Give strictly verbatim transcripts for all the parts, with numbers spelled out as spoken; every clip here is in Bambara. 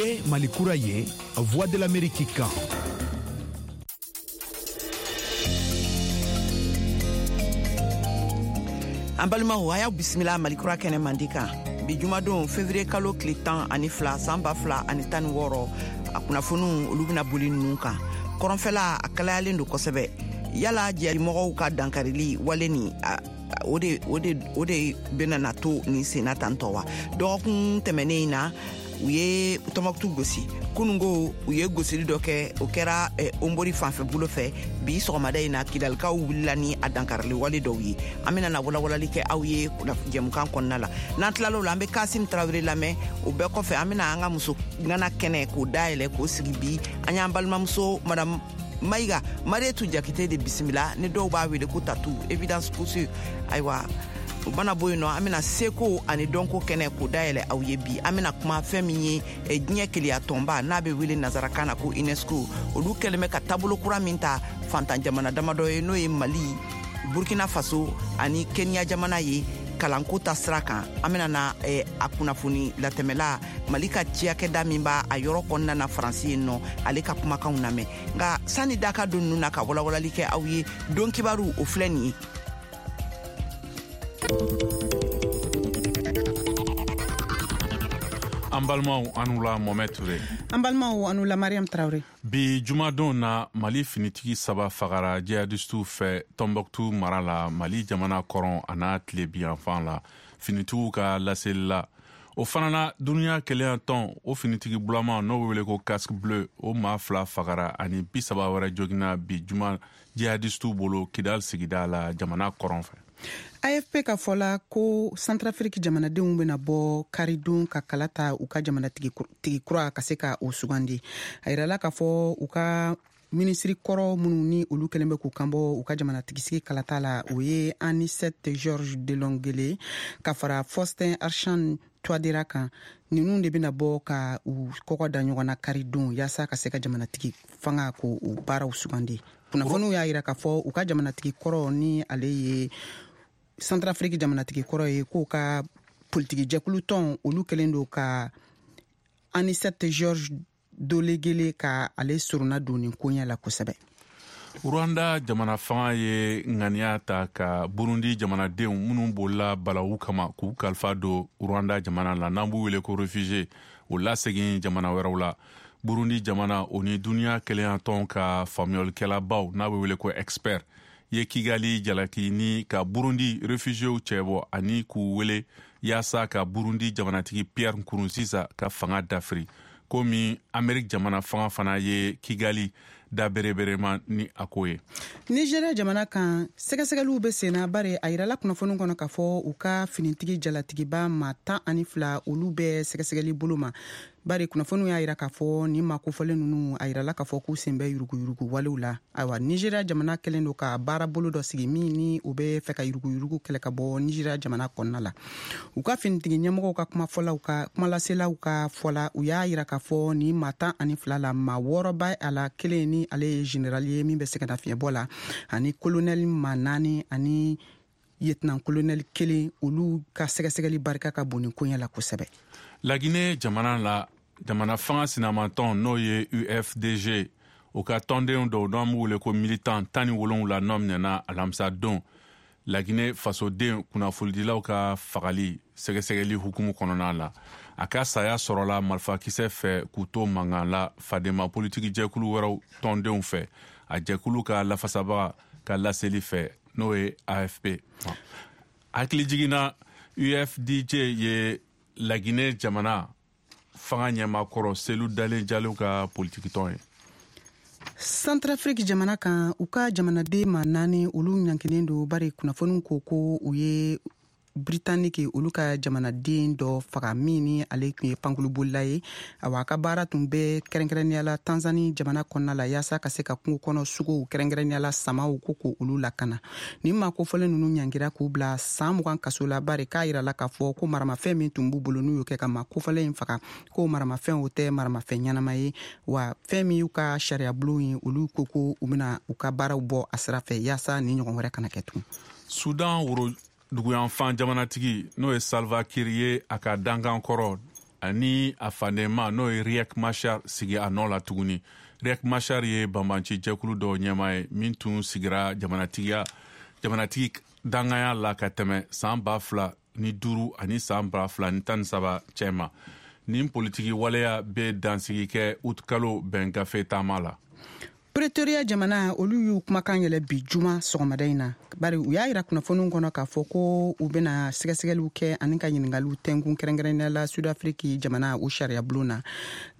Ye Mali kura ye, Voix de l'Amérique kan. An balimaw, a y'aw bisimila Malikura kɛnɛ mandi kan bi jumadon, février kalo tile tan ani fila, san ba fila ani tan ni wɔɔrɔ. A kunnafoniw, olu bɛna boli ninnu kan. Kɔrɔnfɛla, a kalayalen don kosɛbɛ. Yala jɛmɔgɔw ka dankarili wale nin, o de o de o de bɛna na to nin senna tantɔ wa? Dɔgɔkun tɛmɛnen in na, u ye Tɔnbɔkutu gosi. Kunungo, u ye gosili dɔ kɛ, o kɛra eh, Onbori fanfɛ bolo fɛ. Bi sɔgɔmada in na, Kidalikaw wulila ni a dankarili wale dɔw ye. An bɛna na walawalali kɛ aw ye jɛmukan kɔnɔna la. N'an tilal'o la, an bɛ Kasim Tarawele lamɛn. O bɛɛ kɔfɛ, an bɛna an ka muso ŋana kɛnɛ k'o dayɛlɛ k'o sigi. Bi, an y'an balimamuso Madame Mayiga Marietu Jakite de bisimila, ni dɔw b'a wele ko Tatu Évidence Couture. Ayiwa, o mana bɔ yen nɔ, an bɛna seko ani dɔnko kɛnɛ k'o dayɛlɛ aw ye. Bi, an bɛna kuma fɛn min ye eh, diɲɛ keleya tɔnba n'a bɛ wele nazarakan na ko UNESCO, olu kɛlen bɛ ka taabolo kura min ta fantan jamana damadɔ ye, n'o ye Mali, Burkina Faso ani Kenya jamana ye, kalanko ta sira kan. An bɛna na eh, a kunnafoni latɛmɛla Mali ka ciyakɛda min b'a a yɔrɔ kɔnɔna na Faransi yen nɔ, ale ka kumakanw lamɛn. Nka sani daka don ninnu na ka walawalali kɛ aw ye, don kibaru, o filɛ nin ye. An balimaw, an wula. Mɔmɛ Ture. An balimaw, an wula. Mariam Tarawele. Bi jumadon na, Mali finitigi saba fagara jihadistiw fɛ Tɔnbɔkutu mara la, Mali jamana kɔrɔn a n'a tilebiyanfan la, finitigiw ka laseli la. O fana na, duniya kelenya tɔn o finitigi bulama n'o bɛ wele ko casque bleu, o maa fila fagara ani bi saba wɛrɛ jogina bi juma jihadistiw bolo Kidal sigida la, jamana kɔrɔn fɛ. A F P ka fɔ la ko Centrafrique jamanadenw bɛna bɔ karidon ka kala ta u ka jamanatigi kura ka se ka o sugandi. A yirala k'a fɔ u ka minisiri kɔrɔ minnu ni olu kɛlen bɛ k'u kanbɔ u ka jamanatigisigi kalata la, o ye Anicet Georges Dologuélé ka fara Faustin Archange Touadéra kan. Ninnu de bɛna bɔ ka u kɔgɔ da ɲɔgɔn na karidon yaasa ka se ka jamanatigi fanga ko o baaraw sugandi. Kunnafoniw y'a yira k'a fɔ u ka jamanatigi kɔrɔ, ni ale ye Centrafrique jamanatigi kɔrɔ ye, k'o ka politiki jɛkulu tɔn, olu kɛlen don ka Anicet Georges Dologuélé ka ale sorona don nin koɲɛ la kosɛbɛ. Rwanda jamana fanga ye ŋaniya ta ka Burundi jamanadenw minnu bolila balawu kama k'u kalifa don Rwanda jamana la, n'an b'u wele ko réfugié, o lasegin jamana wɛrɛw la. Burundi jamana, o ni duniya kelenya tɔn ka faamuyalikɛlabaw n'a bɛ wele ko expert ye Kigali jalaki ni ka Burundi réfugiéw cɛbɔ ani k'u wele yaasa ka Burundi jamanatigi Pierre Nkurunziza ka fanga dafiri, komi Amerik jamana fanga fana ye Kigali da bereberema ni a ko ye. Nigeria jamana kan, sɛgɛsɛgɛliw bɛ senna, bari a yirala kunnafoni kɔnɔ k'a fɔ u ka finitigi jalatigiba ma tan ani fila, olu bɛ sɛgɛsɛgɛli bolo ma, bari kunnafoniw y'a yira k'a fɔ nin maa kofɔlen ninnu, a yirala k'a fɔ k'u sen bɛ yuruguyurugu walew la. Ayiwa, Nigeria jamana kɛlen don ka baara bolo dɔ sigi min ni o bɛ fɛ ka yuruguyurugu kɛlɛ ka bɔ Nigeria jamana kɔnɔna la. U ka finitigi ɲɛmɔgɔw ka kumafɔlaw ka kumalaselaw ka fɔla, u y'a yira k'a fɔ nin maa tan ani fila la, maa wɔɔrɔ b'a a la, kelen ni ale ye général ye min bɛ sɛgɛnnafiɲɛbɔ la, ani colonel maa naani ani lieutenant colonel kelen. Olu ka sɛgɛsɛgɛli barika ka bon nin koɲɛ la kosɛbɛ. Lagine jamana la, jamana fanga sinamatɔn n'o ye U F D G, o ka tɔnden dɔw n'an b'u wele ko militant tan ni wolonwula nɔ minɛna alamisa don, Lagine fasoden kunnafonidilaw ka fagali sɛgɛsɛgɛli hukumu kɔnɔna la. A ka saya sɔrɔla marifakisɛ fɛ k'u to mankan la fadema politiki jɛkulu wɛrɛw tɔndenw fɛ, a jɛkulu ka lafasabaga ka laseli fɛ, n'o ye A F P. Hakili jiginna, U F D G ye Lagine jamana fanga ɲɛmakɔrɔ Selu Dalen Jalo ka politikitɔn ye. Centrafrique jamana kan, u ka jamanaden ma naani, olu ɲankinen don, bari kunnafoniw ko ko u ye Britannique olu ka jamanaden dɔ faga min ni ale tun ye pankulubolila ye. Awa, a ka baara tun bɛ kɛrɛnkɛrɛnnenya la Tanzani jamana kɔnɔna la yaasa ka se ka kungo kɔnɔ sogow, kɛrɛnkɛrɛnnenya la samaw, ko ko olu lakana. Nin maa kofɔlen ninnu ɲangira k'u bila san mugan kaso la, bari k'a yirala k'a fɔ ko maramafɛn min tun b'u bolo n'u y'o kɛ ka maa kofɔlen in faga, ko maramafɛn o tɛ maramafɛn ɲɛnama ye. Wa fɛn min y'u ka sariyabulon ye, olu ko ko u bɛna u ka baaraw bɔ a sira fɛ yaasa nin ɲɔgɔn wɛrɛ kana kɛ tugun. Sudan woro duguyanfan jamanatigi, n'o ye Salva Kiir ye, a ka dankan kɔrɔ ani a fadenma n'o ye Riek Machar sigi a nɔ la tuguni. Riek Machar ye banbanci jɛkulu dɔw ɲɛmaa ye min tun sigira jamanatigiya jamanatigi danganya la ka tɛmɛ san ba fila ni duuru ani san ba fila ni tan ni saba cɛma. Nin politiki waleya bɛ dansigi kɛ utikalo bɛn gafe taama la. Pretoria jamana olu y'u kumakan yɛlɛ bi juma sɔgɔmada in na, bari u y'a yira kunnafoniw kɔnɔ k'a fɔ ko u bɛna sɛgɛsɛgɛliw kɛ ani ka ɲiningaliw tɛnkun kɛrɛnkɛrɛnnenya la Sud-Afrique jamana o sariya bulon na,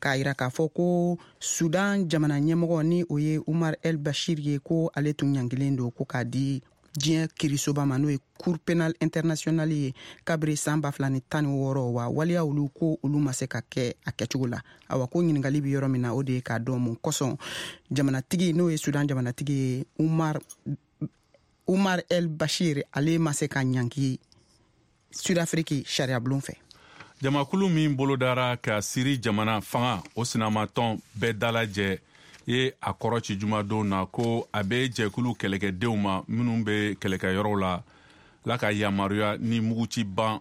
k'a yira k'a fɔ ko Sudan jamana ɲɛmɔgɔ ni o ye Umar El Bashir ye, ko ale tun ɲangilen don ko k'a di diɲɛ kirisoba ma n'o ye Cour pénale internationale ye kabiri san ba fila ni tan ni wɔɔrɔ, wa waleya olu ko olu ma se ka kɛ a kɛcogo la. Awa ko ɲininkali bɛ yɔrɔ min na, o de ye k'a dɔn mun kosɔn jamanatigi n'o ye Sudan jamanatigi ye Umar Umar El Bashir ale ma se ka ɲangi Sud-Afrique sariyabulon fɛ. Jamakulu min bolodara ka Siri jamana fanga o sinamatɔn bɛɛ dalajɛ ye a kɔrɔ ci jumadon na ko a bɛ jɛkulu kɛlɛkɛdenw ma minnu bɛ kɛlɛkɛyɔrɔw la la ka yamaruya ni muguci ban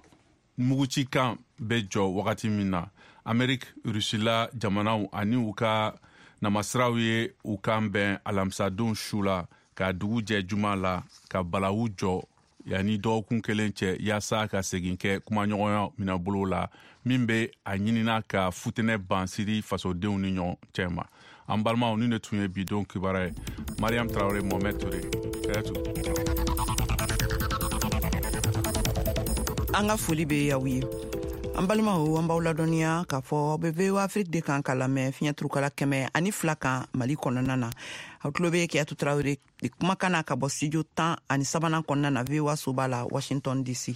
mugucikan bɛ jɔ wagati min na. Ameriki, Rusila jamanaw ani u ka namasiraw ye u kan bɛn alamisadon su la ka dugu jɛ juma la ka balawu jɔ yanni dɔgɔkun kelen cɛ yaasa ka segin kɛ kumaɲɔgɔnya minɛbolo la min bɛ a ɲinina ka futinɛ ban Siri fasodenw ni ɲɔgɔn cɛ ma. An balimaw, ni ne tun ye bi don kibaruya ye. Mariam Traoré, Mohamed Touré, Kayatu. An ka foli bɛ aw ye. An balimaw, an b'aw ladɔnniya k'a fɔ aw bɛ V O A Afrique de kan ka lamɛn fiɲɛ turukala kɛmɛ ani fila kan Mali kɔnɔna na. Aw tulo bɛ Kayatu Traoré de kumakan na ka bɔ studio tan ani sabanan kɔnɔna na V O A soba la Washington D C.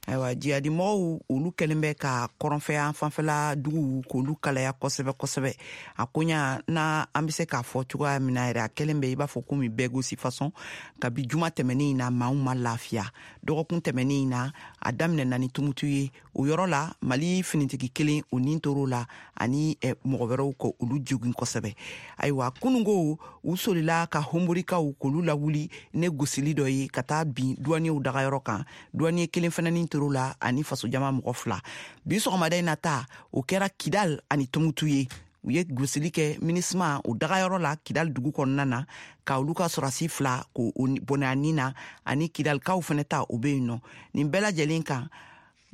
Ayiwa, jihadimɔgɔw olu kɛlen bɛ ka kɔrɔnfɛ fanfɛla duguw k'olu kalaya kosɛbɛ kosɛbɛ. A koɲa na an bɛ se k'a fɔ cogoya min na yɛrɛ, a kɛlen bɛ i b'a fɔ komi bɛɛ gosi fasɔn. Kabi juma tɛmɛnen in na, maaw ma lafiya. Dɔgɔkun tɛmɛnen in na, a daminɛna ni Tumutu ye. O yɔrɔ la, Mali finitigi kelen o nin tor'o la ani mɔgɔ wɛrɛw ko olu jogin kosɛbɛ. Ayiwa, kununko u solila ka Honborikaw k'olu lawuli ne gosili dɔ ye ka taa bin duwaniyew dagayɔrɔ kan. Duwaniye kelen fana nin tor'o la ani fasojama mɔgɔ fila. Bi sɔgɔmada in na ta, o kɛra Kidal ani Tumutu ye. U ye gosili kɛ MINUSMA o dagayɔrɔ la Kidal dugu kɔnɔna na ka olu ka sɔrɔsi fila k'o bɔnɛ a nin na ani Kidalikaw fana ta o bɛ yen nɔ. Nin bɛɛ lajɛlen kan,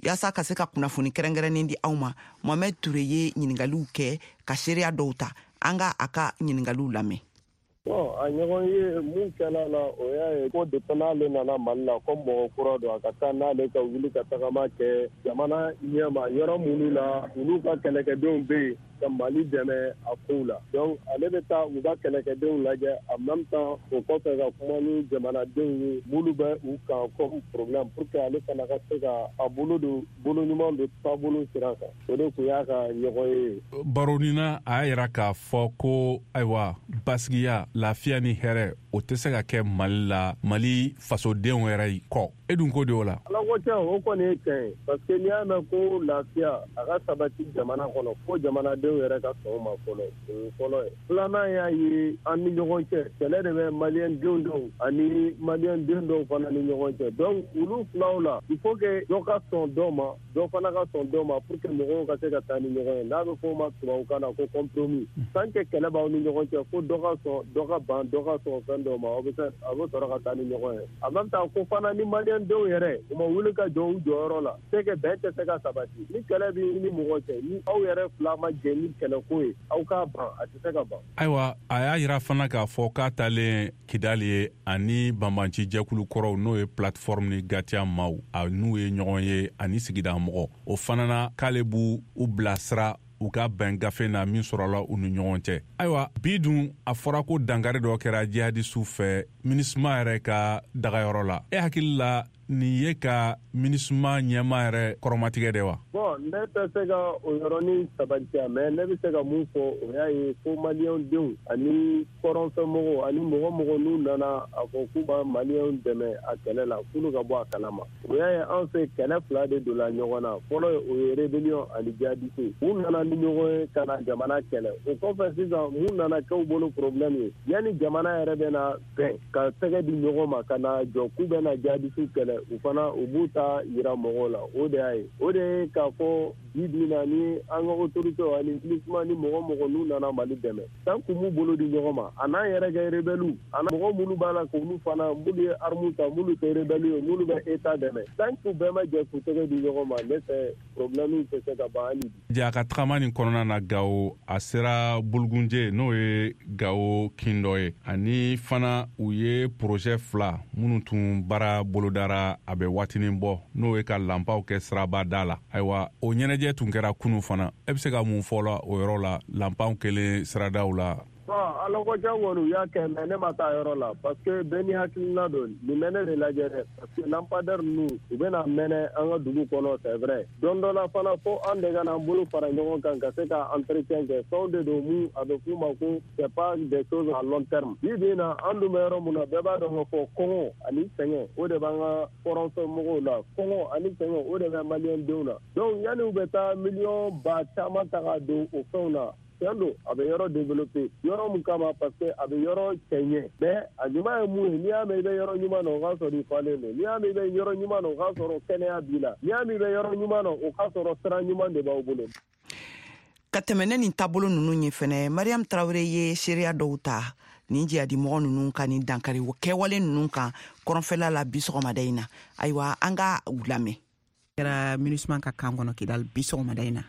yaasa ka se ka kunnafoni kɛrɛnkɛrɛnnen di aw ma, Mohamed Touré ye ɲininkaliw kɛ ka seereya dɔw ta. An ka a ka ɲininkaliw lamɛn. Bon, a ɲɔgɔn ye mun kɛla la, o y'a ye ko depuis n'ale nana Mali la ko mɔgɔ kura don, a ka taa n'ale ka wuli ka tagama kɛ jamana ɲɛma yɔrɔ minnu la olu ka kɛlɛkɛdenw bɛ yen ka Mali dɛmɛ a kow la. Donc ale bɛ taa u ka kɛlɛkɛdenw lajɛ en même temps o kɔfɛ ka kuma ni jamanadenw ye minnu bɛ u kan comme problème pour que ale fana ka se ka a bolo don bolo ɲuman don taabolo sira kan. O de tun y'a ka ɲɔgɔn ye. Baronina a y'a yira k'a fɔ ko ayiwa basigiya, lafiya ni hɛrɛ o tɛ se ka kɛ Mali la, Mali fasodenw yɛrɛ kɔ. E dun ko de o la? Ala ko tiɲɛ, o kɔni ye tiɲɛ ye parce que n'i y'a mɛn ko lafiya a ka sabati jamana kɔnɔ fo jamanadenw yɛrɛ ka sɔn o ma fɔlɔ, o ye fɔlɔ ye. Filanan y'a ye an ni ɲɔgɔn cɛ kɛlɛ de bɛ maliyɛn denw dɔw ani maliyɛn den dɔw fana ni ɲɔgɔn cɛ. Donc olu filaw la, il faut que dɔ ka sɔn dɔ ma, dɔ fana ka sɔn dɔ ma pour que mɔgɔw ka se ka taa ni ɲɔgɔn ye. N'a bɛ fɔ o ma tubabukan na ko compromis. Tant que kɛlɛ b'aw ni ɲɔgɔn cɛ fo dɔ ka sɔn dɔ ka ban dɔ ka sɔn fɛn dɔw ma, aw bɛ se a bɛ sɔrɔ ka taa ni ɲɔgɔn ye. En même temps ko fana ni maliyɛn denw yɛrɛ u ma wuli ka jɔ u jɔyɔrɔ la, c'est que bɛn tɛ se ka sabati. Ni kɛlɛ b'i ni mɔgɔ cɛ, ni aw yɛrɛ fila ma jɛ ni kɛlɛko ye, aw k'a ban, a tɛ se ka ban. Ayiwa, a y'a yira fana k'a fɔ k'a taalen Kidali ye ani banbanci jɛkulu kɔrɔw n'o ye plateforme ni Gatiya maaw, a n'u ye ɲɔgɔn ye ani sigida mɔgɔ. O fana na k'ale b'u u bilasira u ka bɛn gafe na min sɔrɔla u ni ɲɔgɔn cɛ. Ayiwa, bi dun a fɔra ko dankari dɔ kɛra jihadisiw fɛ MINUSMA yɛrɛ ka dagayɔrɔ la. E hakili la nin ye ka MINUSMA ɲɛma yɛrɛ kɔrɔmatigɛ de wa? Bon, ne tɛ se ka o yɔrɔnin sabatiya, mais ne bɛ se ka mun fɔ, o y'a ye ko maliyɛn denw ani kɔrɔnfɛmɔgɔw ani mɔgɔ mɔgɔ n'u nana a fɔ k'u b'a maliyɛnw dɛmɛ a kɛlɛ la, k'olu ka bɔ a kalama. O y'a ye an fɛ kɛlɛ fila de donna ɲɔgɔn na. Fɔlɔ o ye rébellion ani jihadiste. U nana ni ɲɔgɔn ye ka na jamana kɛlɛ. O kɔfɛ sisan mun nana kɛ u bolo problème ye, yanni jamana yɛrɛ bɛ na bɛn ka tɛgɛ di ɲɔgɔn ma ka na jɔ k'u bɛ na jihadiste kɛlɛ, u fana u b'u ta yira mɔgɔw la. O de y'a ye, o de ye k'a fɔ bi bi in na ni an ka autorité ani MINUSMA ni mɔgɔ mɔgɔ n'u nana Mali dɛmɛ, tant que m'u bolo di ɲɔgɔn ma, a n'an yɛrɛ kɛ rebelle, a mɔgɔ minnu b'a la k'olu fana minnu ye armes ta, minnu tɛ rebelle ye, minnu bɛ État dɛmɛ, tant que bɛɛ ma jɛ k'u tɛgɛ di ɲɔgɔn ma, ne fɛ problème tɛ se ka ban hali bi. Ja, a ka tagama nin kɔnɔna na Gawo, a sera Bulugunje, n'o ye Gawo kin dɔ ye, ani fana u ye projet fila minnu tun baara bolodara a bɛ waatinin bɔ, n'o ye ka lanpaw kɛ siraba da la. Ayiwa, o ɲɛnajɛ tun kɛra kunu fana. E bɛ se ka mun fɔ la o yɔrɔ la, lanpaw kɛlen siradaw la? Bon, alakɔja kɔni u y'a kɛ, mais ne ma taa yɔrɔ la parce que bɛɛ ni hakilina don. Nin bɛ ne de lajɛ dɛ, parce que lampadaire ninnu u bɛna mɛnɛ an ka dugu kɔnɔ, c'est vrai. Don dɔ la fana, fo an de ka n'an bolo fara ɲɔgɔn kan ka se ka entretien kɛ. Fɛnw de don mun a bɛ f'u ma ko c'est pas des choses à long terme. Bi bi in na, an dun bɛ yɔrɔ mun na, bɛɛ b'a dɔn k'a fɔ kɔngɔ ani sɛgɛn, o de b'an ka kɔrɔnfɛ mɔgɔw la. Kɔngɔ ani sɛgɛn, o de bɛ maliyɛn denw na. Donc yanni u bɛ taa miliyɔn ba caman ta ka don o fɛnw na, tiɲɛ don, a bɛ yɔrɔ développer yɔrɔ mun kama, parce que a bɛ yɔrɔ cɛɲɛ. Mais a ɲuman ye mun ye? N'i y'a mɛn i bɛ yɔrɔ ɲuman na, o k'a sɔrɔ i falen don. N'i y'a mɛn i bɛ yɔrɔ ɲuman na, o k'a sɔrɔ kɛnɛya b'i la. N'i y'a mɛn i bɛ yɔrɔ ɲuman na, o k'a sɔrɔ sira ɲuman de b'aw bolo. Ka tɛmɛ ne nin taabolo ninnu ye fɛnɛ, Mariam Tarawele ye seereya dɔw ta nin jihadimɔgɔ ninnu ka nin dankari kɛwale ninnu kan kɔrɔnfɛla la bi sɔgɔmada in na. Ayiwa, an ka u lamɛn. Kɛra MINUSMA ka camp kɔnɔ Kidal bi sɔgɔmada in na.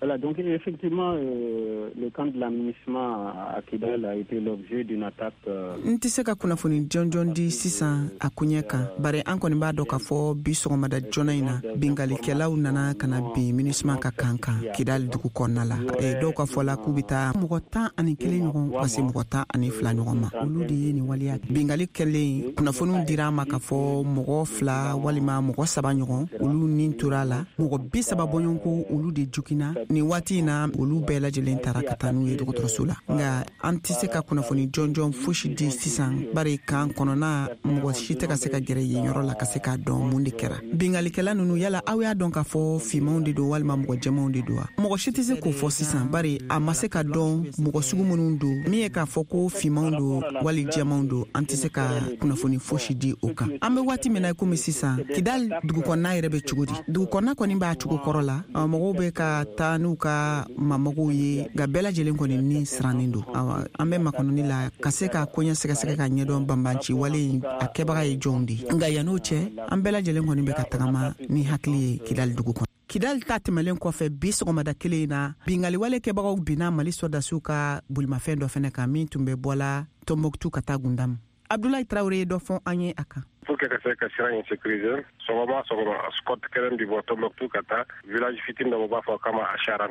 Voilà, donc effectivement, euh, le camp de la MINUSMA à Kidal a été l'objet d'une attaque. Euh, N tɛ se ka kunnafoni jɔnjɔn di sisan a koɲɛ kan, bari an kɔni b'a dɔn k'a fɔ bi sɔgɔmada joona in na, bingalikɛlaw nana ka na bin MINUSMA ka camp kan Kidal dugu kɔnɔna la. Dɔw ka fɔ la k'u bɛ taa mɔgɔ tan ani kelen ɲɔgɔn ka se mɔgɔ tan ani fila ɲɔgɔn ma, olu de ye nin waleya. Bingali kɛlen, kunnafoniw dira an ma k'a fɔ mɔgɔ fila walima mɔgɔ saba ɲɔgɔn, olu ni tora a la. Mɔgɔ bi saba bɔɲɔgɔnko, olu de joginna. Nin waati in na, olu bɛɛ lajɛlen taara ka taa n'u ye dɔgɔtɔrɔso la. Nka an tɛ se ka kunnafoni jɔnjɔn fosi di sisan, bari camp kɔnɔna mɔgɔ si tɛ ka se ka gɛrɛ yen yɔrɔ la ka se k'a dɔn mun de kɛra. Bingalikɛla ninnu, yala aw y'a dɔn k'a fɔ finmanw de don walima mɔgɔ jɛmanw de don wa? Mɔgɔ si tɛ se k'o fɔ sisan, bari a ma se ka dɔn mɔgɔ sugu minnu don. Min ye k'a fɔ ko finmanw don wali jɛmanw don, an tɛ se ka kunnafoni fosi di o kan. An bɛ waati min na komi sisan, Kidal dugu kɔnɔna yɛrɛ bɛ cogo di? Dugu kɔnɔna kɔni b'a cogo kɔrɔ la, mɔgɔw bɛ ka taa n'u ka mamɔgɔw ye, nka bɛɛ lajɛlen kɔni ni sirannen don. Awa, an bɛ makɔnɔni la ka se ka koɲɛ sɛgɛsɛgɛ ka ɲɛdɔn banbanci wale in a kɛbaga ye jɔnw de ye. Nka yann'o cɛ, an bɛɛ lajɛlen kɔni bɛ ka tagama ni hakili ye Kidali dugu kɔnɔ. Kidali ta tɛmɛlen kɔfɛ, bi sɔgɔmada kelen in na, bingaliwale kɛbagaw binna Mali sɔrɔdasiw ka bolimafɛn dɔ fɛnɛ kan min tun bɛ bɔla Tɔnbɔkutu ka taa Gundamu. Abdulayi Tarawele ye dɔ fɔ an ye a kan. Pour que ka se ka sira in sécuriser, sɔgɔma sɔgɔma, escorte kelen bi bɔ Tombouctou ka taa village fitinin dɔ, b'a fɔ kama Acharan.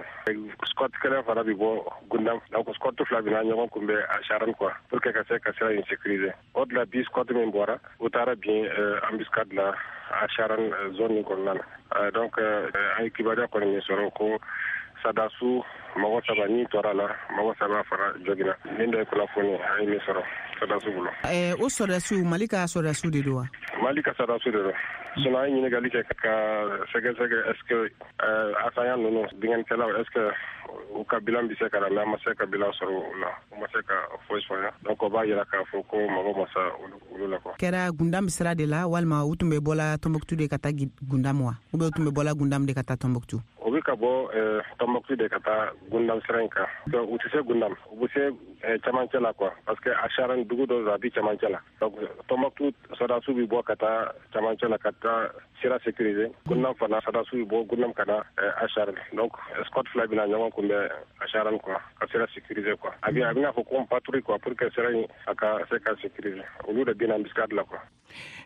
Escorte kelen fana bi bɔ Gundam. Donc escorte fila bina ɲɔgɔn kunbɛ Acharan quoi, pour que ka se ka sira in sécuriser. O de la, bi escorte min bɔra, u taara bin embuscade la Acharan zone in kɔnɔna na. Donc an ye kibaruya kɔni min sɔrɔ ko sadasu mɔgɔ saba ni tora la, mɔgɔ saba fana jogina. Nin de ye kunnafoni an ye min sɔrɔ sɔrɔdasiw bolo. O sɔrɔdasiw, Mali ka sɔrɔdasiw de don wa? Mali ka sɔrɔdasiw de don. Sinon an ye ɲininkali kɛ ka sɛgɛsɛgɛ, est ce que assaillant ninnu, binkannikɛlaw, est ce que u ka bilan bɛ se ka na, mais an ma se ka bilan sɔrɔ o la, u ma se ka foyi fɔ. Donc o b'a yira k'a fɔ ko mɔgɔ ma sa olu la quoi. Kɛra Gundam sira de la walima u tun bɛ bɔla Tɔnbɔkutu de ka taa Gundam wa, ou bien u tun bɛ bɔla Gundam de ka taa Tɔnbɔkutu? O bɛ ka bɔ Tɔnbɔkutu de ka taa Gundam sira in kan. Donc u tɛ se Gundam, u bɛ se camancɛ la quoi, parce que Acharan dugu dɔ don, a bɛ camancɛ la. Donc Tɔnbɔkutu sɔrɔdasiw bɛ bɔ ka taa camancɛ la ka taa sira sécuriser. Gundam fana sɔrɔdasiw bɛ bɔ Gundam ka na Acharan. Donc escorte fila bɛna ɲɔgɔn kunbɛn Acharan quoi, ka sira sécuriser quoi. A bɛ a bɛna fɔ ko patrouille quoi, pour que sira in a ka se ka sécuriser. Olu de bɛna embuscade la quoi.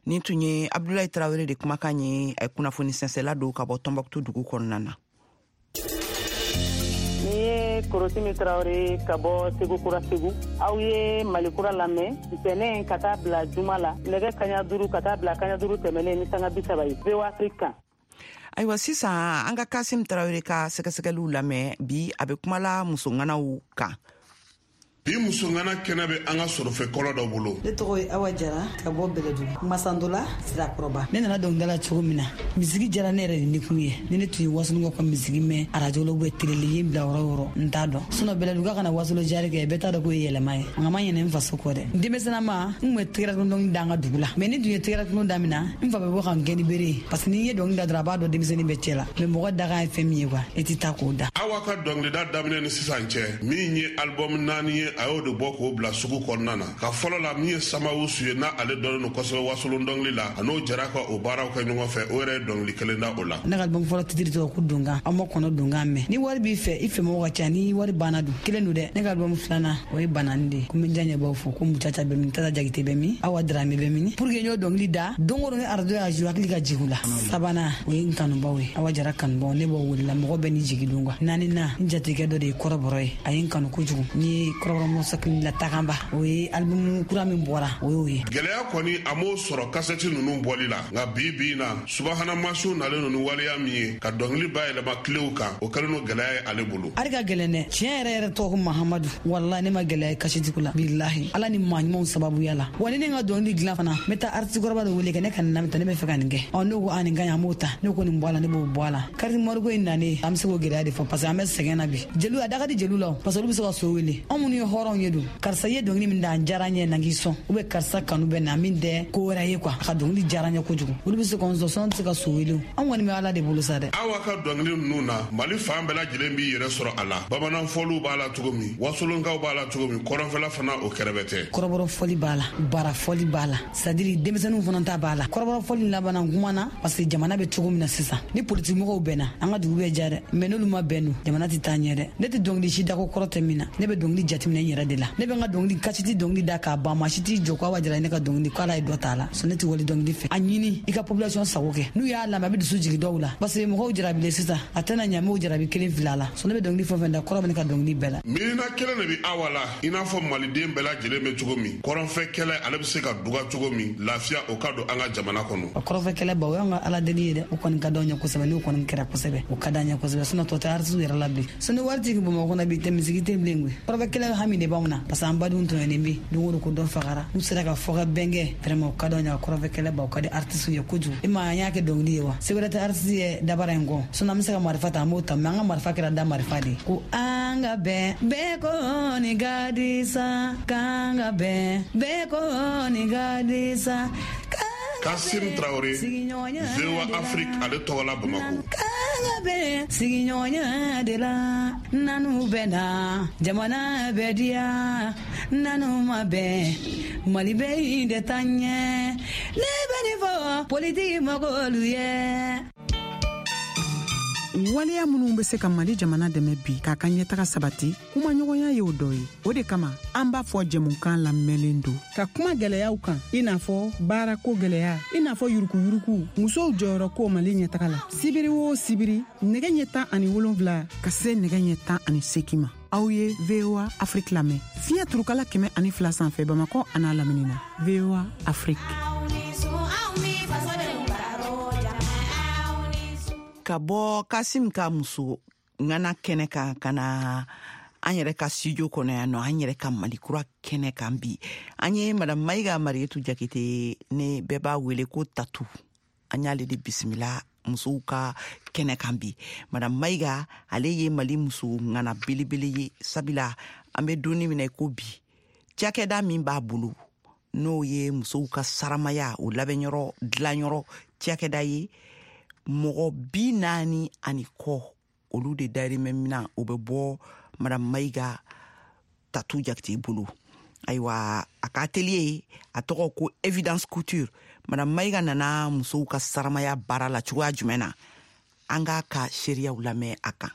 Nin tun ye Abdulayi Tarawele de kumakan ye, kunnafoni sɛnsɛla don ka bɔ Tɔnbɔkutu dugu kɔnɔna na. Ni ye Korotimi Tarawele ka bɔ Segu Kura Segu. Aw ye Mali Kura lamɛn ntɛnɛn ka taa bila juma la, nɛgɛ kaɲa duuru ka taa bila kaɲa duuru tɛmɛnen ni sanga bi saba ye, V O A Afrique kan. Ayiwa, sisan an ka Kasim Tarawele ka sɛgɛsɛgɛliw lamɛn. Bi, a bɛ kumala musoŋanaw kan. Bi musongana kɛnɛ bɛ an ka sɔrɔfɛ kɔlɔ dɔ bolo. Ne tɔgɔ ye Awa Jara ka bɔ Bɛlɛdugu Masandola Sirakɔrɔba. Ne nana dɔnkilida la cogo min na, misigi jara ne yɛrɛ de ni kun ye. Ni ne tun ye wasolon ka misigi mɛn arajo la ou télé la, ye n bila yɔrɔ o yɔrɔ, n t'a dɔn. Sinon Bɛlɛdugu ka na wasolo jari kɛ, bɛɛ t'a dɔn k'o ye yɛlɛma ye. Nka ma ɲinɛ n faso kɔ dɛ. Denmisɛnninma n tun bɛ tɛgɛrɛ dɔnkili da an ka dugu la. Mais ni tun ye tɛgɛrɛ dɔnkili daminɛ, n fa bɛ bɔ ka n gɛn ni bere ye. Parce que n'i ye dɔnkili da dɔrɔn, a b'a dɔn denmisɛnnin bɛ cɛ la. Mais mɔgɔ dakan ye fɛn min ye quoi, e tɛ taa k'o da. Awa ka dɔnkilida daminɛ ni sisan cɛ, min ye album naani ye, a y'o de bɔ k'o bila sugu kɔnɔna na. Ka fɔlɔ la min ye Samawusu ye, n'a ale dɔnnen don kosɛbɛ wasolon dɔnkili la, a n'o jɛra ka o baaraw kɛ ɲɔgɔn fɛ, o yɛrɛ ye dɔnkili kelen da o la. Ne ka album fɔlɔ titiri tɔgɔ ko Donkan. Aw ma kɔnɔ Donkan mɛn. Ni wari b'i fɛ, i fɛ mɔgɔ ka ca, ni wari banna dun kelen don dɛ. Ne ka album filanan o ye Banani de ye. Ko n bɛ n diyaɲɛbaw fo, ko Mucaca bɛ min, Tata Jakite bɛ min, Awa Darame bɛ min. Pour que n y'o dɔnkili da, don o don ni arajo y'a jouer, hakili ka jigin u la. Sabanan o ye n kanubaw ye, Awa Jara kanubaw, ne b'o wele la, mɔgɔ bɛɛ n'i jigi don quoi. Naaninan n jatigikɛ dɔ de ye kɔrɔbɔrɔ ye, a ye n kanu kojugu. N ye kɔrɔbɔrɔ mɔsakili la taganba, o ye album kura min bɔra, o y'o ye. Gɛlɛya kɔni a m'o sɔrɔ kasɛti ninnu bɔli la, nka bi bi in na subahana mansiw nalen don ni waleya min ye ka dɔnkili bayɛlɛma kilew kan, o kɛlen don gɛlɛya ye ale bolo. Hali ka gɛlɛn dɛ, tiɲɛ yɛrɛ yɛrɛ tɔgɔ ko Mahamadu, walahi ne ma gɛlɛya ye kasetigiw la, bilahi Ala ni maa ɲumanw sababuya la. Wa ni ne ka dɔnkili dilan fana, n bɛ taa artiste kɔrɔba dɔ wele kɛ ne ka nin lamɛn tan, ne bɛ fɛ ka nin kɛ. Ɔ n'o ko a nin ka ɲi, an b'o ta, ne ko nin bɔ a la, ne b'o bɔ a la. Carte mémoire in nanen, an bɛ se k'o gɛlɛya de fɔ parce que an bɛ sɛgɛn na bi. Jeliw a da ka di jeliw la, parce que olu bɛ se ka so wele. Anw minnu ye hɔrɔnw ye dun, karisa ye dɔnkili min da, a diyara n ye, na k'i sɔn, ou bien karisa kanu bɛ na min tɛ ko wɛrɛ ye quoi, a ka dɔnkili diyara n ye kojugu. Olu bɛ se k'an sɔn, sɔn tɛ se ka so wele. Anw kɔni bɛ Ala de bolo sa dɛ. Awa ka dɔnkili ninnu na, Mali fan bɛɛ lajɛlen b'i yɛrɛ sɔrɔ a la. Bamanan fɔliw b'a la cogo min, wasolonkaw b'a la cogo min, kɔrɔnfɛla fana o kɛrɛfɛ tɛ. Kɔrɔbɔrɔ fɔli b'a la, bara fɔli b'a la, c'est à dire denmisɛnninw fana ta b'a la. Kɔrɔbɔrɔ fɔli labanna n kumana parce que jamana bɛ cogo min na sisan, ni politiki mɔgɔw bɛnna, an ka dugu bɛ diya dɛ. Mais n'olu ma bɛn dun, jamana tɛ taa ɲɛ dɛ. Ne tɛ dɔnkili si da ko kɔrɔ tɛ min na, ne bɛ dɔnkili jateminɛ n yɛrɛ de la. Ne bɛ n ka dɔnkili kasiti dɔnkili da k'a ban, maa si t'i jɔ ko Awa Jara ne ka dɔnkili ko Ala ye dɔ t'a la. So ne tɛ wali dɔnkili fɛ. A ɲini i ka population sago kɛ, n'u y'a lamɛn a bɛ dusu jigin dɔw la, parce que mɔgɔw jarabilen sisan, a tɛna ɲɛ m'o jarabi kelen fila la. So ne bɛ dɔnkili fɛn fɛn da, kɔrɔ bɛ ne ka dɔnkili bɛɛ la. Miirina kelen de bɛ Awa la, i n'a fɔ maliden bɛɛ lajɛlen bɛ cogo min, kɔrɔnfɛ kɛlɛ ale bɛ se ka duga cogo min, lafiya o ka don an ka jamana kɔnɔ. Kɔrɔnfɛ kɛlɛ ba, o y'an ka Ala deli ye dɛ, o kɔni ka d'anw ye kosɛbɛ, n'o kɔni kɛra kosɛbɛ, o ka d'an ye kosɛbɛ. Sinon tɔ tɛ artiste yɛrɛ la bilen. Sinon wari t'i kun Bamakɔ kɔnɔ bi, tɛ misigi tɛ bilen koyi. Kɔrɔnfɛ kɛlɛ hami de b'anw na, parce que an badenw tɔɲɔnen bɛ don o don ko dɔ fagara. N'u sera ka fɔ ka bɛn kɛ, vraiment o ka d'anw ye ka kɔrɔnfɛ kɛlɛ ba, o ka di artiste ye kojugu. E ma an y'a kɛ dɔnkili ye wa? Se wɛrɛ tɛ artiste ye dabara in kɔ. Sinon an bɛ se ka marifa ta, an b'o ta, mais an ka marifa kɛra da marifa de ye. Ko an ka bɛn, bɛɛ kɔni ka di sa, k'an ka bɛn, bɛɛ kɔni ka di sa. Kasim Traoré, V O A Afrique, ale tɔgɔ la Bamako. K'an ka bɛn sigiɲɔgɔnya de la, nanu bɛ na, jamana bɛ diya, nanu ma bɛn, Mali bɛ in de taa ɲɛ. Ne bɛ nin fɔ politiki mɔgɔlu ye. Waleya minnu bɛ se ka Mali jamana dɛmɛ bi k'a ka ɲɛtaga sabati, kumaɲɔgɔnya y'o dɔ ye. O de kama an b'a fɔ jɛmukan lamɛnlen don ka kuma gɛlɛyaw kan, i n'a fɔ baarako gɛlɛya, i n'a fɔ yurukuyuruku, musow jɔyɔrɔ ko Mali ɲɛtaga la. Sibiri o sibiri, nɛgɛ ɲɛ tan ani wolonfila ka se nɛgɛ ɲɛ tan ani seegin ma, aw ye V O A Afrique lamɛn fiɲɛ turukala kɛmɛ ani fila sanfɛ Bamakɔ an'a lamini na. V O A Afrique. Ka bɔ Kasim ka muso ŋana kɛnɛ kan ka na an yɛrɛ ka studio kɔnɔ yan nɔ, an yɛrɛ ka Malikura kɛnɛ kan bi, an ye Madame Mayiga Marietu Jakite, ne bɛɛ b'a wele ko Tatu, an y'ale de bisimila musow ka kɛnɛ kan bi. Madame Mayiga, ale ye Mali muso ŋana belebele ye, sabula an bɛ donni min na i ko bi, cakɛda min b'a bolo n'o ye musow ka saramaya o labɛnyɔrɔ dilanyɔrɔ cakɛda ye, mɔgɔ bi naani ani kɔ olu de dayirimɛ minan o bɛ bɔ Madame Mayiga Tatu Jakite bolo. Ayiwa, a ka atelier a tɔgɔ ko Evidence Couture. Madame Mayiga nana musow ka saramaya baara la cogoya jumɛn na? An k'a ka seereyaw lamɛn a kan.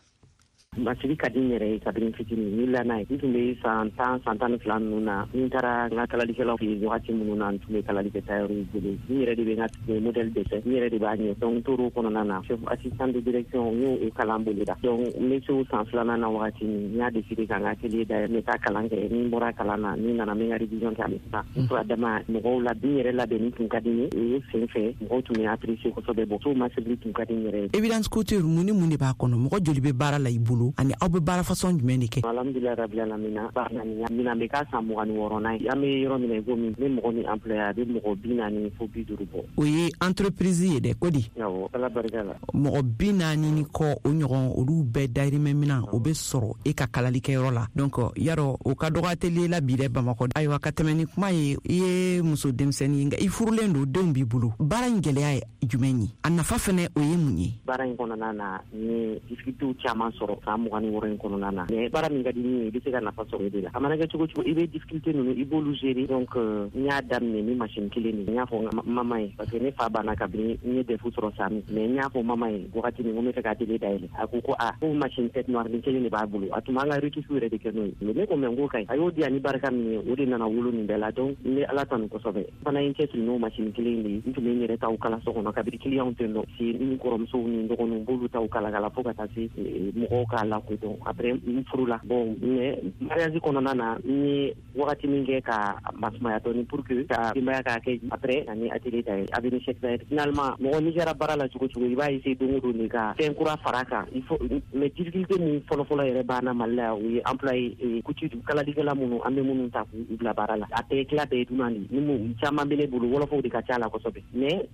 Masiri ka di n yɛrɛ ye kabini fitinin, n wulila n'a ye. N tun bɛ san tan san tan ni fila ninnu na, n taara n ka kalalikɛlaw fɛ yen wagati minnu na, n tun bɛ kalali kɛ tailleur bolo. N yɛrɛ de bɛ n ka modèle dɛsɛ, n yɛrɛ de b'a ɲɛ. Donc n tor'o kɔnɔna na, chef assistant de direction n y'o kalan boloda. Donc n bɛ se o san filanan na wagati min, n y'a décidé ka n ka atelier dayɛlɛ, n bɛ taa kalan kɛ. Ni n bɔra kalan na, ni n nana n bɛ n ka révision kɛ a bɛ taa. N tora dama mɔgɔw la, n yɛrɛ labɛnni tun ka di n ye. O sen fɛ mɔgɔw tun bɛ apprécier kosɛbɛ. Bon so masirili tun ka di n yɛrɛ ye. Evidence Couture, mun ni mun de b'a kɔnɔ? Mɔgɔ joli bɛ baara la i bolo? don ani aw bɛ baara fasɔn jumɛn de kɛ? Alhamdulilayi rabil alamina, ɲinan bɛ k'a san mugan ni wɔɔrɔnan ye. An bɛ yɔrɔ min na i komi n bɛ mɔgɔ min employé, a bɛ mɔgɔ bi naani fo bi duuru bɔ. O ye entreprise ye dɛ, ko di? Awɔ, Ala barika la. Mɔgɔ bi naani ni kɔ o ɲɔgɔn, olu bɛɛ dayirimɛ minan o bɛ sɔrɔ e ka kalalikɛyɔrɔ la. Donc yarɔ o ka dɔgɔ atelier la bi dɛ Bamakɔ. Ayiwa, ka tɛmɛ ni kuma ye, i ye muso denmisɛnnin ye, nka i furulen don, denw b'i bolo. Baara in gɛlɛya ye jumɛn ye? A nafa fɛnɛ o ye mun ye? Baara in kɔnɔna na, n ye difficultés caman sɔrɔ san mugan ni wɔɔrɔ in kɔnɔna na. Mais baara min ka di min ye, i bɛ se ka nafa sɔrɔ o de la. A mana kɛ cogo cogo, i bɛ difficulté ninnu, i b'olu gérer. Donc n y'a daminɛ ni machine kelen de ye. N y'a fɔ n mama ye, parce que ne fa banna kabini n ye D E F sɔrɔ san min. Mais n y'a fɔ mama ye wagati min ko n bɛ fɛ ka atelier dayɛlɛ, a ko ko a ko machine tête noire ni kelen de b'a bolo, a tun b'an ka retouche yɛrɛ de kɛ n'o ye. Ne ko mais n ko ka ɲi, a y'o di yan ni barika min ye, o de nana wolo nin bɛɛ la. Donc n bɛ Ala tanu kosɛbɛ. N fana ye n cɛsiri n'o machine kelen de ye. N tun bɛ n yɛrɛ taw kala so kɔnɔ kabini client tɛ dɔn se, n kɔrɔmusow ni n dɔgɔninw, n b'olu taw kala kala fo ka taa se mɔgɔw k'a lakodɔn. Après n furula. Bon, mais mariage kɔnɔna na, n ye wagati min kɛ ka masumaya dɔɔni pour que ka denbaya k'a kɛ. Après ani atelier dayɛlɛ avenue Cheikh Zayed. Finalement, mɔgɔ n'i kɛra baara la cogo cogo, i b'a essayer don o don de ka fɛn kura fara kan. Il faut, mais difficulté min fɔlɔfɔlɔ yɛrɛ b'an na Mali la yan, o ye employé couture kalalikɛla minnu an bɛ minnu ta k'u bila baara la. A tɛ tila bɛɛ ye dunan de ye. Ni mun caman bɛ ne bolo, wɔlɔfɔw de ka ca la kosɛbɛ, mais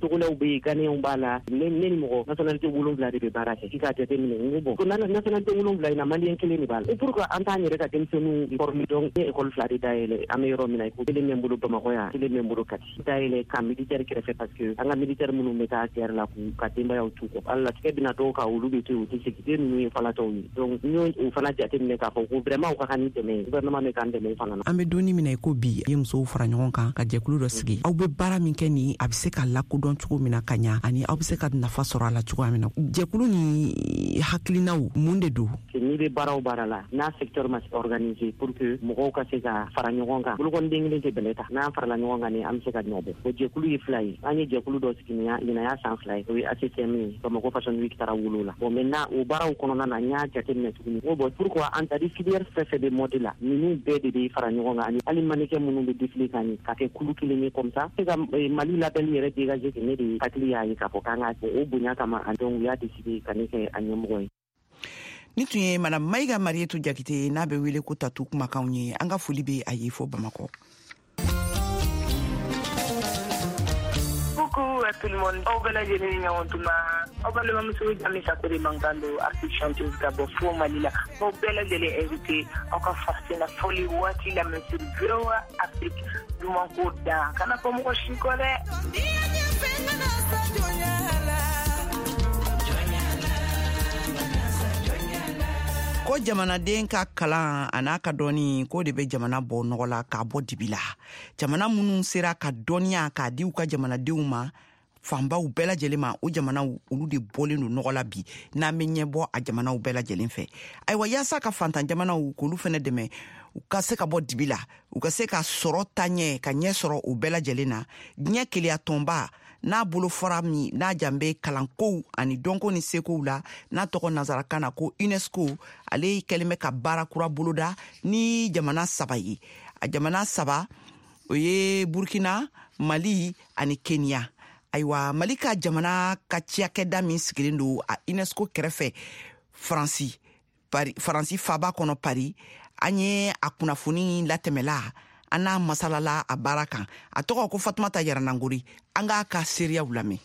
togolɛw bɛ yen, ghanéenw b'a la. Ne ne ni mɔgɔ nationalité wolonwula de bɛ baara kɛ. K'i k'a jateminɛ, n ko bon, ko nationalité wolonwula in na, malien kelen de b'a la. Pourquoi an t'an yɛrɛ ka denmisɛnninw former? Donc ne école fila de dayɛlɛ. An bɛ yɔrɔ min na, ko kelen bɛ n bolo Bamakɔ yan, kelen bɛ n bolo Kati. Dayɛlɛ ka militaire kɛrɛfɛ, parce que an ka militaire minnu bɛ taa guerre la k'u ka denbayaw t'u kɔ, hali latigɛ bɛna dɔw kan, olu bɛ to yen, u tɛ segin. Den ninnu ye falatɔw ye. Donc n y'o o fana jateminɛ k'a fɔ ko vraiment u ka kan ni dɛmɛ ye, gouvernement bɛ k'an dɛmɛ o fana na. An bɛ donni min na i ko bi, i ye musow fara ɲɔgɔn kan ka jɛkulu dɔ sigi. Aw bɛ baara min kɛ nin, a bɛ se ka lakodɔn cogo min na ka ɲa, ani aw bɛ se ka nafa sɔrɔ a la cogoya min na, jɛkulu ni hakilinaw mun de don? N'i bɛ baara o baara la, n'a secteur ma organisé pour que mɔgɔw ka se ka fara ɲɔgɔn kan, bolokɔniden kelen tɛ bɛlɛ ta. N'an farala ɲɔgɔn kan ni an bɛ se ka ɲɔ bɔ. O jɛkulu ye fila ye. An ye jɛkulu dɔ sigi ɲinan y'a san fila ye, o ye A C C M ye. Bamakɔ Fashion Week taara wolo la. Bon, maintenant o baaraw kɔnɔna na, n y'a jateminɛ tuguni n ko bon, pourquoi an tadi filière fɛn fɛn bɛ mode la, ninnu bɛɛ de bɛ fara ɲɔgɔn kan, ani hali mannequin minnu bɛ défilé kan ni ka kɛ kulu kelen ye, comme ça se ka Mali label yɛrɛ dégager. Ne de hakili y'a ye k'a fɔ k'an ka o bonya kama, donc u y'a décidé ka ne kɛ a ɲɛmɔgɔ ye. Ni tun ye Madame Mayiga Marietu Jakite, n'a bɛ wele ko Tatu kumakanw ye. An ka foli bɛ a ye fo Bamakɔ. Coucou à tout le monde. Aw bɛɛ lajɛlen ni ɲɔgɔn tuma. Aw balimamuso Jami Sako de mankan don, artiste chanteuse ka bɔ fo Mali la. Aw bɛɛ lajɛlen invité aw ka farafina fɔli waati lamɛn sur V O A Afrique. Duman ko da kana fɔ mɔgɔ si kɔ dɛ. Ko jamanaden ka kalan a n'a ka dɔnni, k'o de bɛ jamana bɔ nɔgɔ la k'a bɔ dibi la. Jamana minnu sera ka dɔnniya k'a di u ka jamanadenw ma, fanbaw bɛɛ lajɛlen ma, o jamanaw olu de bɔlen don nɔgɔ la bi, n'an bɛ ɲɛbɔ a jamanaw bɛɛ lajɛlen fɛ. Ayiwa, yaasa ka fantan jamanaw k'olu fɛnɛ dɛmɛ u ka se ka bɔ dibi la, u ka se ka sɔrɔ ta ɲɛ ka ɲɛ sɔrɔ o bɛɛ lajɛlen na, diɲɛ keleya tɔnba n'a bolo fɔra min n'a jan bɛ kalankow ani dɔnko ni sekow la, n'a tɔgɔ nansarakan na ko UNESCO, ale kɛlen bɛ ka baara kura boloda ni jamana saba ye. A jamana saba o ye Burkina, Mali ani Kenya. Ayiwa, Mali ka jamana ka cakɛda min sigilen don a UNESCO kɛrɛfɛ Faransi, Paris, Faransi faba kɔnɔ Paris, an ye a kunnafoni latɛmɛla, an n'a masalala a baara kan. A tɔgɔ ko Fatumata Yaranangori. An k'a ka seereyaw lamɛn.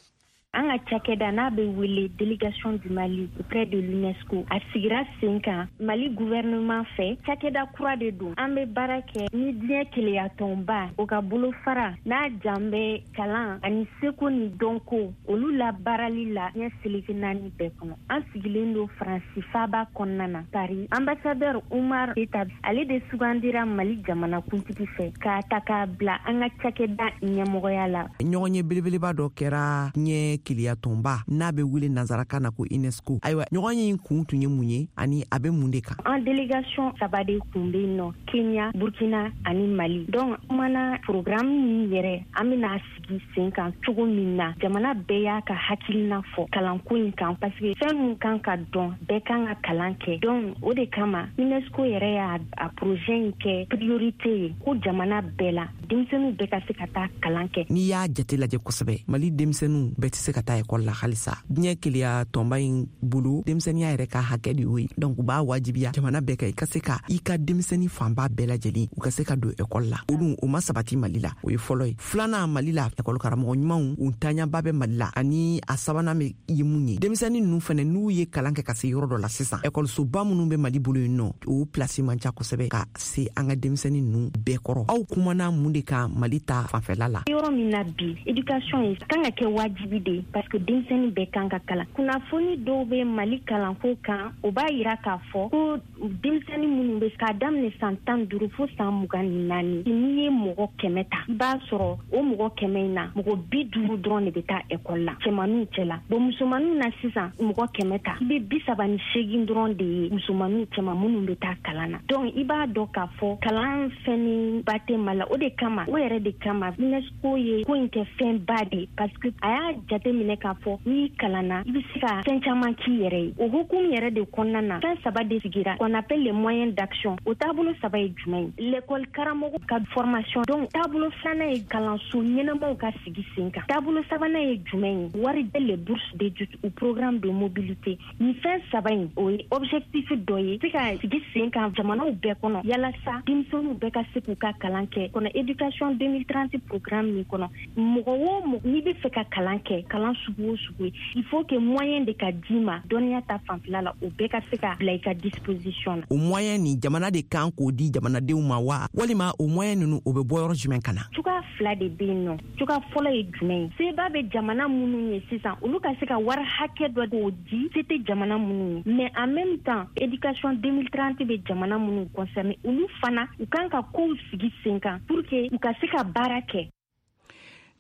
An ka cakɛda n'a bɛ wele Délégation du Mali auprès de l'UNESCO, a sigira sen kan Mali gouvernement fɛ. Cakɛda kura de don. An bɛ baara kɛ ni diɲɛ keleyatɔnba o ka bolofara n'a jan bɛ kalan ani seko ni dɔnko olu labaarali la diɲɛ seleke naani bɛɛ kɔnɔ. An sigilen don Faransi faba kɔnɔna na, Paris. Ambassadeur Umar Keita, ale de sugandira Mali jamana kuntigi fɛ k'a ta k'a bila an ka cakɛda ɲɛmɔgɔya la. Ɲɔgɔn ye belebeleba dɔ kɛra diɲɛ keleya tɔnba n'a bɛ wele nansarakan na ko UNESCO. Ayiwa, ɲɔgɔn ye kun tun ye mun ye ani a bɛ mun de kan? An délégation saba de kun bɛ yen nɔ: Kenya, Burkina ani Mali. Donc kumana programme min yɛrɛ an bɛna sigi sen kan cogo min na, jamana bɛɛ y'a ka hakilina fɔ kalanko in kan, parce que fɛn min kan ka dɔn, bɛɛ kan ka kalan kɛ. Donc o de kama UNESCO yɛrɛ y'a a projet in kɛ priorité ye, ko jamana bɛɛ la denmisɛnninw bɛɛ ka se ka taa kalan kɛ. N'i y'a jate lajɛ kosɛbɛ, Mali denmisɛnninw bɛɛ tɛ se se ka taa ekɔli la halisa. Diɲɛ keleya tɔnba in bolo, denmisɛnninya yɛrɛ ka hakɛ de y'o ye. Donc u b'a wajibiya jamana bɛɛ kan i ka se ka i ka denmisɛnnin fanba bɛɛ lajɛlen u ka se ka don ekɔli la. O dun o ma sabati Mali la, o ye fɔlɔ ye. Filanan, Mali la ekɔli karamɔgɔ ɲumanw u ntaɲaba bɛ Mali la. Ani a sabanan bɛ ye mun ye, denmisɛnnin ninnu fɛnɛ n'u ye kalan kɛ ka se yɔrɔ dɔ la sisan, ekɔlisoba minnu bɛ Mali bolo yen nɔ, o pilasi man ca kosɛbɛ ka se an ka denmisɛnnin ninnu bɛɛ kɔrɔ. Aw kumana mun de kan Mali ta fanfɛla la? Yɔrɔ min na bi, éducation ye kan ka kɛ wajibi de, parce que denmisɛnnin bɛɛ kan ka kalan. Kunnafoni dɔw bɛ Mali kalanko kan, o b'a yira k'a fɔ ko denmisɛnnin minnu bɛ k'a daminɛ san tan duuru fo san mugan ni naani, n'i ye mɔgɔ kɛmɛ ta, i b'a sɔrɔ o mɔgɔ kɛmɛ in na, mɔgɔ bi duuru dɔrɔn de bɛ taa ekɔli la cɛmaninw cɛla. Bon, musomaninw na sisan, mɔgɔ kɛmɛ ta, i bɛ bi saba ni seegin dɔrɔn de ye musomaninw cɛma minnu bɛ taa kalan na. Donc i b'a dɔn k'a fɔ kalan fɛnni ba tɛ Mali la. O de kama, o yɛrɛ de kama UNESCO ye ko in kɛ fɛnba de ye, parce que a y'a jate minɛ k'a fɔ n'i kalanna, i bɛ se ka fɛn caman k'i yɛrɛ ye. O hukumu yɛrɛ de kɔnɔna na, fɛn saba de sigira qu'on appelle les moyens d'action. O taabolo saba ye jumɛn ye? L'école karamɔgɔ ka formation. Donc taabolo filanan ye kalanso ɲɛnamaw ka sigi sen kan. Taabolo sabanan ye jumɛn ye? Wari les bourses d'études ou programme de mobilité. Nin fɛn saba in, o ye objectif dɔ ye se ka sigi sen kan jamanaw bɛɛ kɔnɔ, yalasa denmisɛnninw bɛɛ ka se k'u ka kalan kɛ. Kɔnɔ éducation deux mille trente programme min kɔnɔ, mɔgɔ o mɔgɔ n'i bɛ fɛ ka kalan kɛ, kalan sugu o sugu ye, il faut que moyen de ka d'i ma dɔnniya ta fanfɛla la, o bɛɛ ka se ka bila i ka disposition na. O moyen nin, jamana de kan k'o di jamanadenw ma wa, walima o moyen ninnu o bɛ bɔ yɔrɔ jumɛn ka na? Cogoya fila de bɛ yen nɔ. Cogoya fɔlɔ ye jumɛn ye? Seba bɛ jamana minnu ye sisan, olu ka se ka wari hakɛ dɔ k'o di, se tɛ jamana minnu ye. Mais en même temps, éducation deux mille trente bɛ jamana minnu concerné, olu fana u kan ka kow sigi sen kan pour que u ka se ka baara kɛ.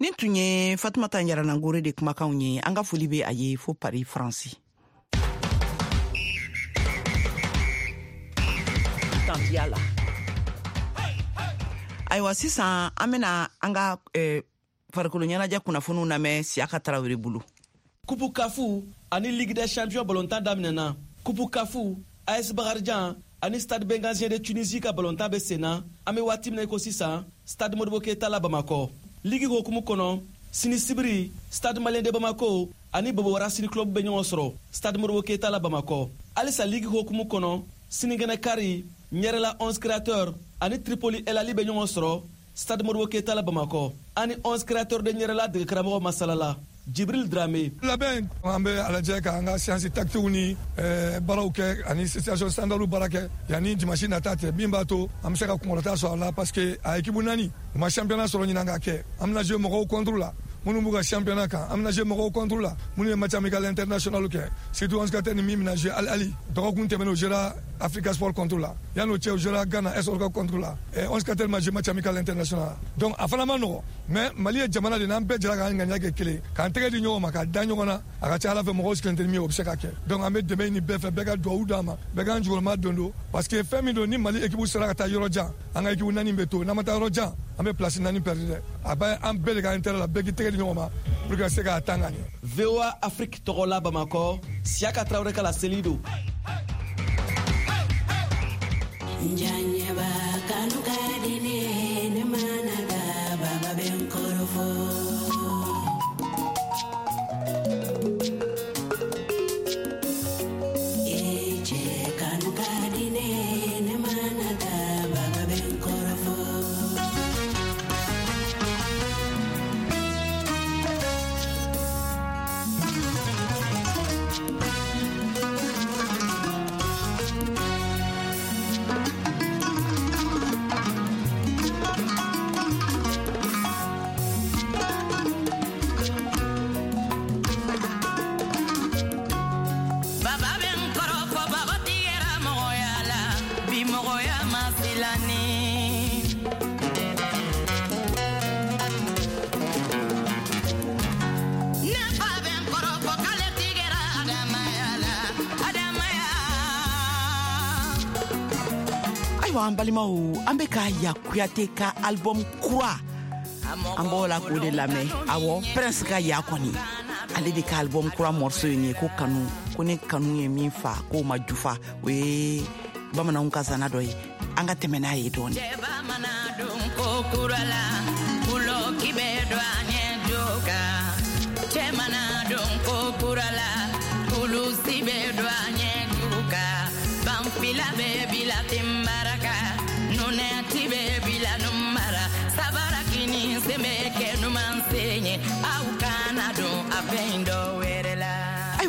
Nin tun ye Fatumata Yaranangore de kumakanw ye. An ka foli bɛ a ye fo Paris, Faransi. Tantiya la. Ayiwa, sisan an bɛna an ka eh, farikolo ɲɛnajɛ kunnafoniw lamɛn Siyaka Tarawele bolo. Coupe Kafu ani Ligue des Champions balontan daminɛna. Coupe Kafu, A S Bakarijan ani Stade Bengazien de Tunisie ka balontan bɛ sen na. An bɛ waati min na i ko sisan, Stade Modibo Keita la Bamakɔ. Ligue hokumu kɔnɔ, sini sibiri, Stade Malien de Bamako ani Bobo Racing Club bɛ ɲɔgɔn sɔrɔ Stade Modibo Keita la Bamakɔ. Halisa Ligue hokumu kɔnɔ, sinikɛnɛ kari, Ɲɛrɛla onze Créateurs ani Tripoli El Ali bɛ ɲɔgɔn sɔrɔ Stade Modibo Keita la Bamakɔ. Ani onze Créateurs de Ɲɛrɛla degekaramɔgɔ masalala Jibril Dramé. Labɛn, an bɛ a lajɛ k'an ka séance tactique ni baaraw kɛ ani situation standard baara kɛ yanni dimanche nata tɛ, min b'a to an bɛ se ka kunkɔrɔta sɔrɔ a la, parce que a équipe naani u ma championnat sɔrɔ ɲinan ka kɛ. An bɛna jouer mɔgɔw contre la minnu b'u ka championnat kan, an bɛna jouer mɔgɔw contre la minnu ye match amical international kɛ, surtout onze Créateurs ni min bɛna jouer Al Ahly. Dɔgɔkun tɛmɛnen, o jouera Africa Sport contre la, yanni o cɛ, o jouera Ghana S Orca contre la. onze Créateurs ma jouer match amical international, donc a fana ma nɔgɔ. Mais Mali ye jamana de n'an bɛɛ jɛra k'an ŋaniya kɛ kelen, k'an tɛgɛ di ɲɔgɔn ma, k'a da ɲɔgɔn na, a ka ca Ala fɛ mɔgɔw sigilen tɛ ni min ye, o bɛ se ka kɛ. Donc an bɛ dɛmɛ ɲini bɛɛ fɛ, bɛɛ ka duwawu d'an ma, bɛɛ k'an jukɔrɔma don don, parce que fɛn min don, ni Mali équipe sera ka taa yɔrɔ jan, an ka équipe naani bɛ to, n'an ma taa yɔrɔ jan, an bɛ place naani perdu dɛ. A bɛ an bɛɛ de ka intérêt la, bɛɛ k'i tɛgɛ di ɲɔgɔn ma pour que ka se k'a tan ka ɲɛ. V O A Afrique tɔgɔ la Bamakɔ, Siyaka Tarawele ka laseli don. Njanyeba kanu ka di ne, ne mana da baba bɛ n kɔrɔfɔ. E cɛ kanu ka di ne, ne mana da baba bɛ n kɔrɔfɔ. Ayiwa, an balimaw, an bɛ ka Ya Kuyate ka album kura, an b'o la k'o de lamɛn. Awɔ, Prince ka Ya kɔni, ale de ka album kura morceau ye nin ye, ko kanu, ko ne kanu ye min fa k'o ma jufa. O ye bamananw ka zana dɔ ye, an ka tɛmɛ n'a ye dɔɔni. Cɛ mana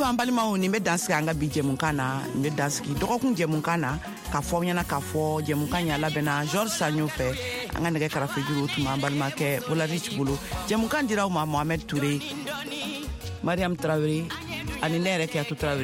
Ayiwa, an balimaw, nin bɛ dan sigi an ka bi jɛmukan na. Nin bɛ dan sigi dɔgɔkun jɛmukan na, k'a fɔ aw ɲɛna k'a fɔ jɛmukan ɲa labɛnna George Sanyo fɛ. An ka nɛgɛ karafejuru tun b'an balimakɛ Bolarich bolo. Jɛmukan dira aw ma Mohamed Touré, Mariam Traoré ani ne yɛrɛ Kiyatu Traoré.